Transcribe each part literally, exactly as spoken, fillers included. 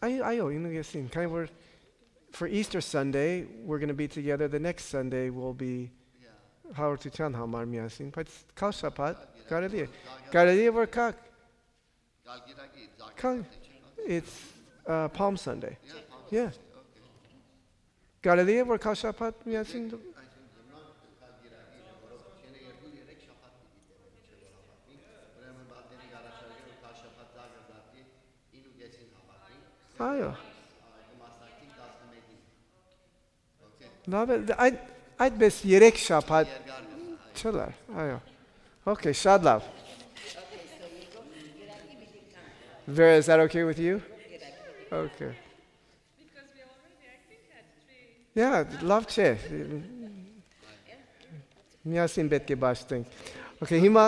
Այո, այո, ինու կէսին։ Քանի որ for Easter Sunday, we're going to be together. The next Sunday will be Հաղորդութեան համար միասին, բայց քա շաբաթ կարելի է։ Կարելի է որ քա, քա, it's uh, Palm Sunday. Yeah. Կարելի է որ քա շաբաթ միասին դու Այո։ Լավ է, այդ, այդպես երեք շաբաթ չլար, այո։ Okay, շատ լավ։ Vera, is that okay with you? Okay. Yeah, լավ չէ։ Միասին պետք է պաշտենք։ Okay, հիմա,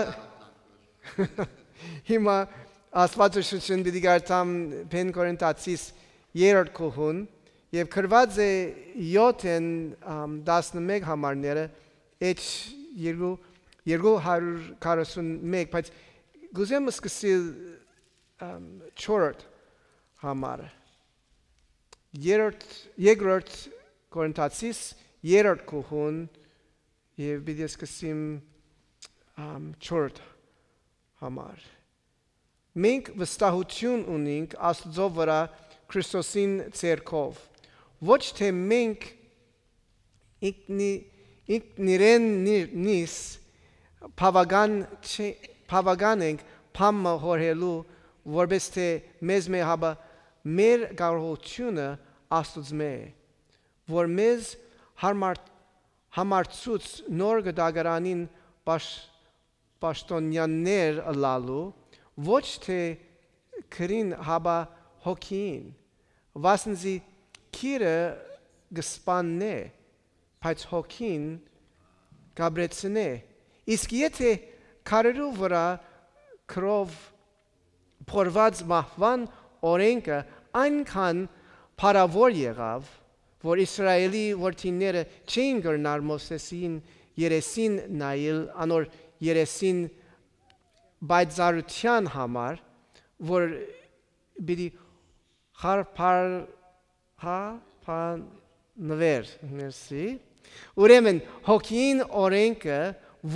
հիմա Աստվածաշունչին պիտի կարդամ Բեն Կորինթացիս երրորդ գլխուն, եւ գրուած է յոթ են, ամ, տասնմէկ համարները, H երկու, երկու հարիւր քառասուն մէկ, բայց կ'ուզեմ սկսիլ, ամ, չորրորդ համարը։ Երրորդ, երկրորդ Կորինթացիս երրորդ գլխուն, եւ պիտի սկսեմ, ամ, չորրորդ համար։ Մենք վստահութիւն ունինք Աստուծոյ վրայ Քրիստոսին ձեռքով։ Ոչ թէ մենք ինքնի-, ինքնիրեն նի-, նիս բաւական չէ-, բաւական ենք բան մը յորհելու, որպէս թէ մեզմէ, հապա մեր կարողութիւնը Աստուծմէ է, որ մեզ համար-, համարցուց նոր կտակարանին պաշ-, պաշտօնեաններ ըլլալու, ոչ թէ քրին, հապա հոգիին, վասն զի քիրը կը սպաննէ, բայց հոգին կ'ապրեցնէ։ Իսկ եթէ քարերու վրայ քրով փորված մահուան օրէնքը այնքան փառաւոր եղաւ, որ Իսրայէլի որդիները չէին կրնար Մովսէսին երեսին նայել, անոր երեսին պայծառութեան համար, որ պիտի խարբար-, հա, փանվեր, մերսի։ Ուրեմն, հոգին օրէնքը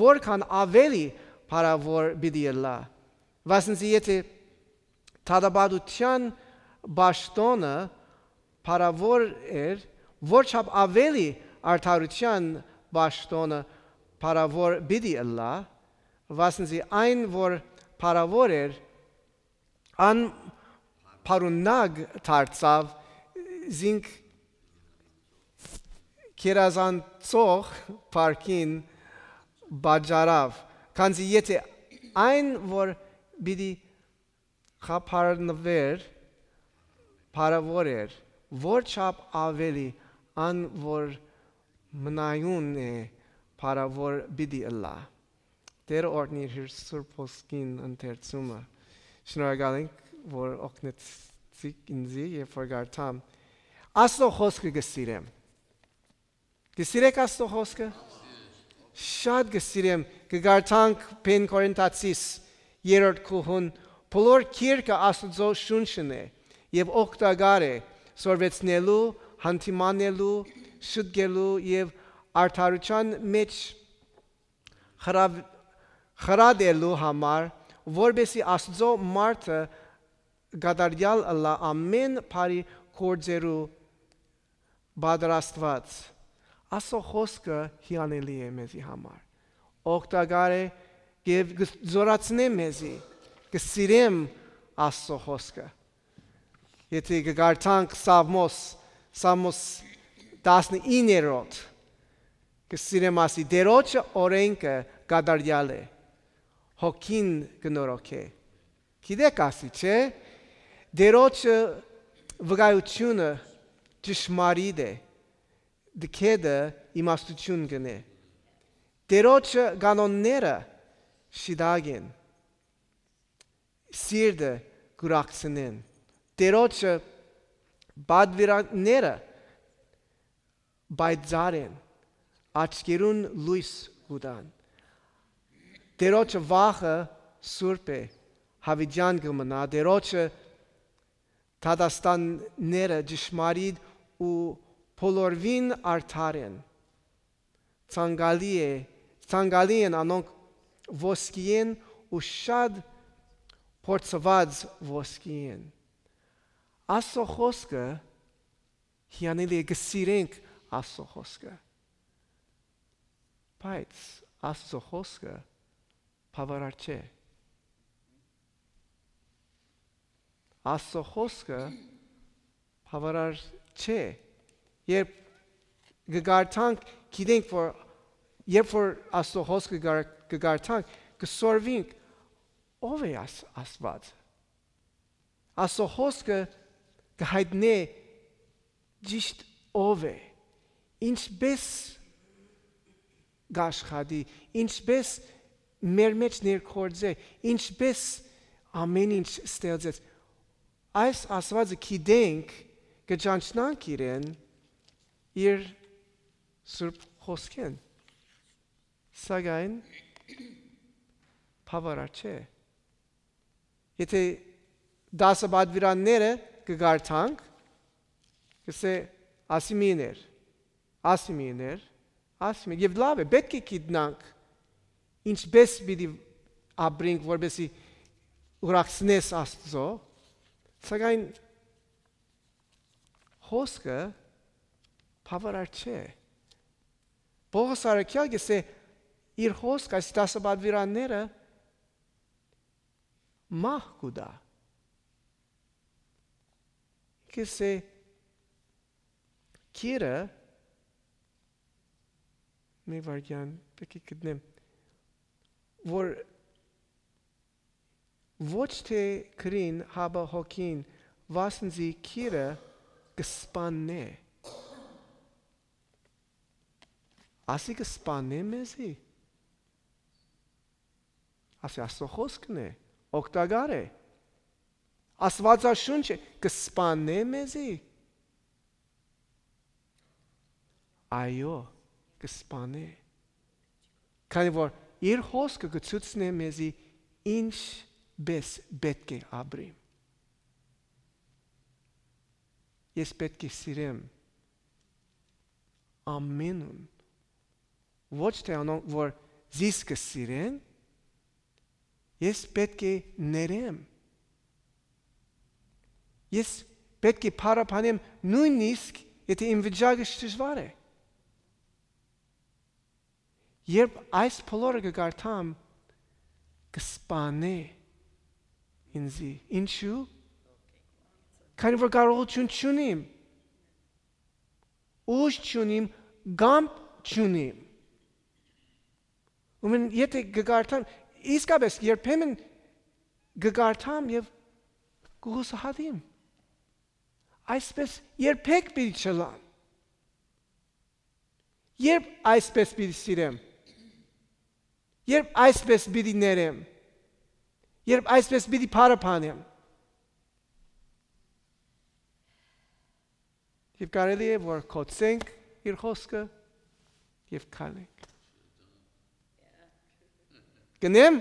որքան աւելի փառաւոր պիտի ըլլայ, վասն զի եթէ դատապարտութեան պաշտօնը փառաւոր էր, որչափ աւելի արդարութեան պաշտօնը փառաւոր պիտի ըլլայ, վասն զի այն, որ փառաւոր էր, ան փառունակ դարձաւ, զինք գերազանցող փառքին պատճառաւ, քանզի եթէ այն, որ պիտի խարբանուէր, փառաւոր էր, որչափ աւելի ան, որ մնայուն է, փառաւոր պիտի ըլլայ։ Տէրը օրհնիր իր Սուրբ Հոգին ընթերցումը։ Շնորհակալ ենք, որ օգնեցիք ինձի, երբ որ կարդամ։ Աստուծոյ խօսքը կը սիրեմ։ Կը սիրեք Աստուծոյ խօսքը։ Շատ կը սիրեմ, կը կարդանք Բեն Կորինթացիս երրորդ գլխուն, բոլոր գիրքը Աստուծոյ շունչն է եւ օգտակար է սորվեցնելու, հանդիմանելու, շտկելու եւ արդարութեան մէջ խրաւ-, խրատելու համար, որպեսզի Աստուծոյ մարդը կատարեալ ըլլայ ամէն բարի գործերու պատրաստուած։ Աստուծոյ խօսքը հիանալի է մեզի համար, օգտակար է եւ կը զօրացնէ մեզի, կը սիրեմ Աստուծոյ խօսքը։ Եթէ կը կարդանք Սաղմոս, Սաղմոս տասնիններորդ, կը սիրեմ, ասի, Տէրոջը օրէնքը կատարեալ է, հոգին կը նորոգէ։ Գիտեք, ասի, չէ՞, Տէրոջը վկայութիւնը ճշմարիտ է, դքեդը իմաստութիւն կ'ընէ։ Տէրոջը կանոնները շիտակ են, սիրտը կ'ուրախցնեն։ Տէրոջը պատվիրանները պայծառ են, աչքերուն լոյս կու տան։ Տէրոջը վախը սուրբ է, յաւիտեան կը մնայ։ Տէրոջը դատաստանները ճշմարիտ ու բոլորովին արդար են։ Ցանկալի է, ցանկալի են անոնք ոսկիէն ու շատ փորձուած ոսկիէն։ Աստուծոյ խօսքը հիանալի է, կը սիրենք Աստուծոյ խօսքը, բայց Աստուծոյ խօսքը բաւարար չէ։ Աստուծոյ խօսքը բաւարար չէ։ Երբ կը կարդանք, գիտենք, որ երբ որ Աստուծոյ խօսքը կը կար-, կը կարդանք, կը սորվինք, ո՞վ է Աս-, Աստուած։ Աստուծոյ խօսքը կը յայտնէ ճիշտ ով է, ինչպէս կ'աշխատի, ինչպէս մեր մէջ ներգործէ, ինչպէս ամէն ինչ ստեղծեց։ Այս Աստուածը գիտենք, կը ճանչնանք իրեն իր Սուրբ Խօսքէն, սակայն բաւարար չէ։ Եթէ տասը պատուիրանները կը կարդանք, կ'ըսէ, «Ասի մի ներ, ասի մի ներ, ասի մի», եւ լաւ է, պէտք է գիտնանք ինչպէս պիտի ապրենք, որպեսզի ուրախցնես Աստուծոյ, սակայն խօսքը բաւարար չէ։ Պողոս առաքեալ կ'ըսէ, իր խօսքը, այս տասը պատուիրանները մահ կու տայ։ Կ'ըսէ, գիրը, մի վայրկեան, պէտք է գտնեմ, որ ոչ թէ գրին, հապա հոգին, վասն զի գիրը կը սպաննէ։ Ասի կը սպաննէ մեզի։ Ասի Աստուծոյ խօսքն է, օգտակար է։ Աստուածաշունչը կը սպաննէ մեզի։ Այո, կը սպաննէ։ Քանի որ իր խօսքը կը ցուցնէ մեզի ինչպէս պէտք է ապրիմ։ Ես պէտք է սիրեմ ամենուն, ոչ թէ անոնք, որ զիս կը սիրեն, ես պէտք է ներեմ։ Ես պէտք է փառաբանեմ, նոյնիսկ եթէ իմ վիճակը դժուար է։ Երբ այս բոլորը կը կարդամ, կը սպանէ ինզի։ Ինչու՞։ Քանի որ կարողութիւն չունիմ, ուժ չունիմ, կամք չունիմ։ Ուրեմն, եթէ կը կարդամ, իսկապէս երբեմն կը կարդամ եւ կը յուսահատիմ։ Այսպէս երբեք պիտի չըլլամ։ Երբ այսպէս պիտի սիրեմ, երբ այսպէս պիտի ներեմ, երբ այսպէս պիտի փառաբանեմ։ Եւ կարելի է, որ կոչենք իր խօսքը եւ քալենք։ Գնեմ։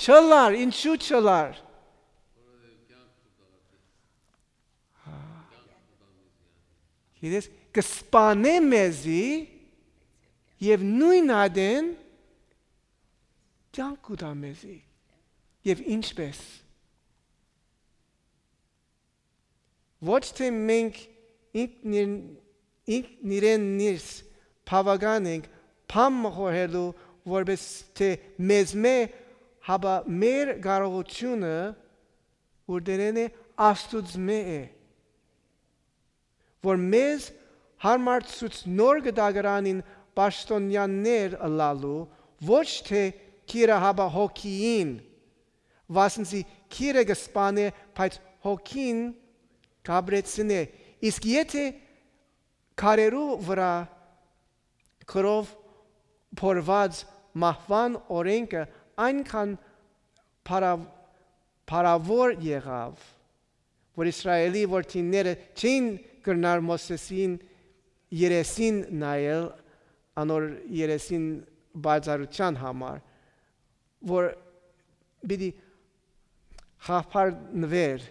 Չըլլար, ինչու չըլլար։ Գիտես, կը սպանէ մեզի եւ նոյն ատեն կեանք կու տայ մեզի։ Եւ ինչպէս։ Ոչ թէ մենք ինքնին-, ինքնիրեն ներս բաւական ենք բան մը խորհելու, որպէս թէ մեզմէ, հապա մեր կարողութիւնը ուրդերէն է, Աստուծմէ է, որ մեզ հարմարցուցնոր կը տակարանին պաշտօնեաններ ըլլալու, ոչ թէ գիրը, հապա հոգիին, վասն զի գիրը կը սպանէ, բայց հոգին կ'ապրեցնէ։ Իսկ եթէ քարերու վրայ գրով փորուած մահուան օրէնքը այնքան փառաւ-, փառաւոր եղաւ, որ Իսրայէլի որդիները չէին կրնար Մովսէսին երեսին նայել, անոր երեսին բարձրութեան համար, որ պիտի խափարնուէր,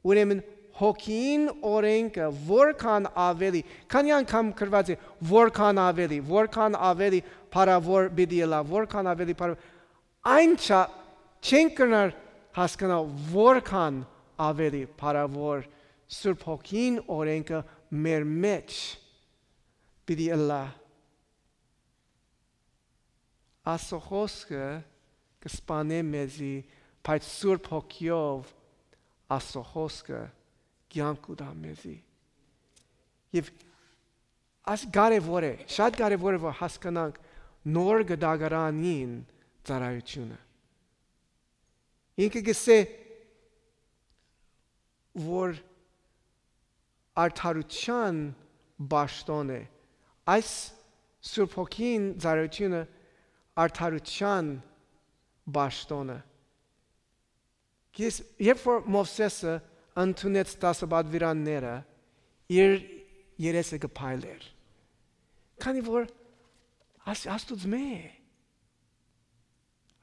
Ուրեմն հոգին օրէնքը որքան աւելի, քանի՞ անգամ գրուած է, որքան աւելի, որքան աւելի փառաւոր պիտի ըլլայ, որքան աւելի փառ-, այն չա, չենք կրնար հասկանալ որքան աւելի փառաւոր Սուրբ Հոգին օրէնքը մեր մէջ պիտի ըլլայ։ Ասո խոսքը կը սպանէ մեզի, բայց Սուրբ Հոգիով ասո խոսքը կեանք կու տայ մեզի։ Եւ աս կարեւոր է, շատ կարեւոր է, որ հասկանանք նոր կտակարանին ծառայութիւնը։ Ինքը կ'ըսէ, որ արդարութեան պաշտօն է։ Այս Սուրբ Հոգին ծառայութիւնը արդարութեան պաշտօնը։ Ես, երբ որ Մովսէսը ընդունեց տասը պատուիրանները, իր երեսը կը փայլէր։ Քանի որ աս-, Աստուծմէ է։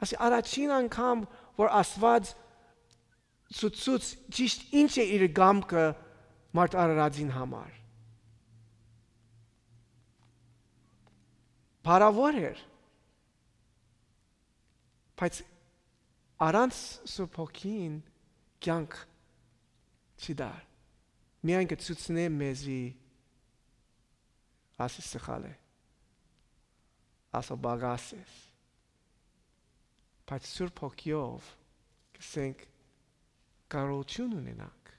Ասի, առաջին անգամ որ Աստուած ցուցուց ճիշտ ինչ է իր կամքը մարդ արարածին համար։ Փառաւոր էր, բայց առանց Սուրբ Հոգին կեանք չի տար։ Միայն կը ցուցնէ մեզի, ասի, սխալ է, ասա, պակաս ես, բայց Սուրբ Հոգիով կսենք կարողութիւն ունենանք։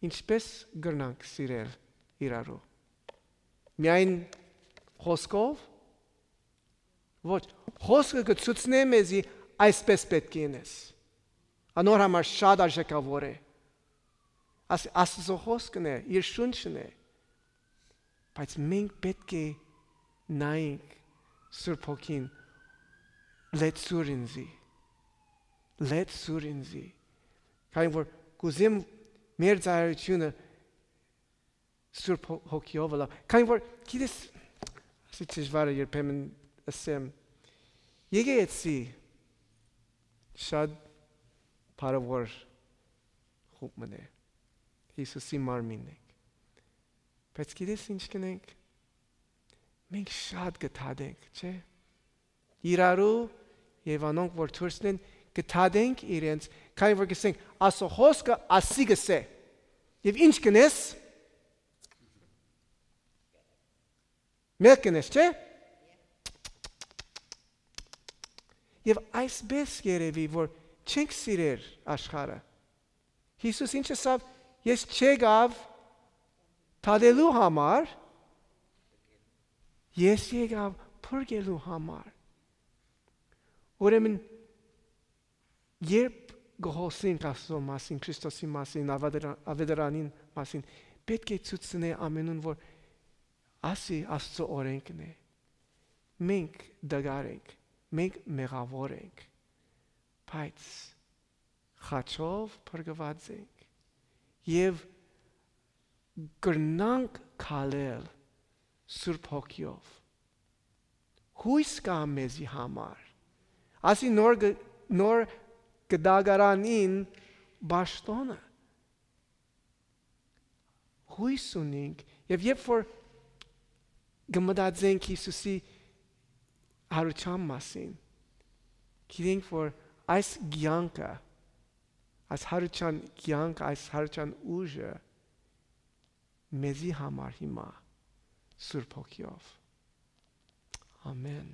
Ինչպե՞ս կրնանք սիրել իրարու։ Միայն խոսքով։ Ոչ, խոսքը կը ցուցնէ մեզի այսպես պէտք է ընես։ Անոր համար շատ արժեքաւոր է։ Աս-, Աստուծոյ խոսքն է, իր շունչն է։ Բայց մենք պէտք է նայենք Սուրբ Հոգին, լեցուր ինձի, լեցուր ինձի, քանի որ կ'ուզեմ մեր ծառայութիւնը Սուրբ Հո-, Հոգիով ըլլայ, քանի որ, գիտես, ասի դժվարը երբեմն ըսեմ, եկեղեցի շատ փառաւոր խումբ մըն է, Յիսուսի մարմինն ենք, բայց գիտես ինչ կ'ընենք, մենք շատ կը դատենք, չէ՞։ Իրարու եւ անոնք որ դուրսն են, կը դատենք իրենց, քանի որ կ'ըսենք, ասո խոսքը ասի կ'ըսէ։ Եւ ինչ կ'ընես։ Մեղք կ'ընես, չէ՞։ Եւ այսպես երեւի որ չենք սիրեր աշխարհը։ Յիսուս ինչ ըսաւ, ես չեկաւ դատելու համար, ես եկաւ փրկելու համար։ Ուրեմն երբ կը խոսենք Աստծո մասին, Քրիստոսի մասին, ավետարա-, ավետարանին մասին, պէտք է ցուցնէ ամենուն որ ասի Աստծո օրէնքն է։ Մենք դգար ենք, մենք մեղաւոր ենք, բայց խաչով փրկուած ենք եւ կրնանք քալել Սուրբ Հոգիով։ Հույս կայ մեզի համար։ Ասի նոր գ-, նոր կտակարանին պաշտօնը։ Հույս ունենք, եւ երբ որ կը մտածենք Յիսուսի յարութեան մասին, գիտենք որ այս կեանքը, այս յարութեան կեանքը, այս յարութեան ուժը մեզի համար հիմա Սուրբ Հոգիով։ Ամեն։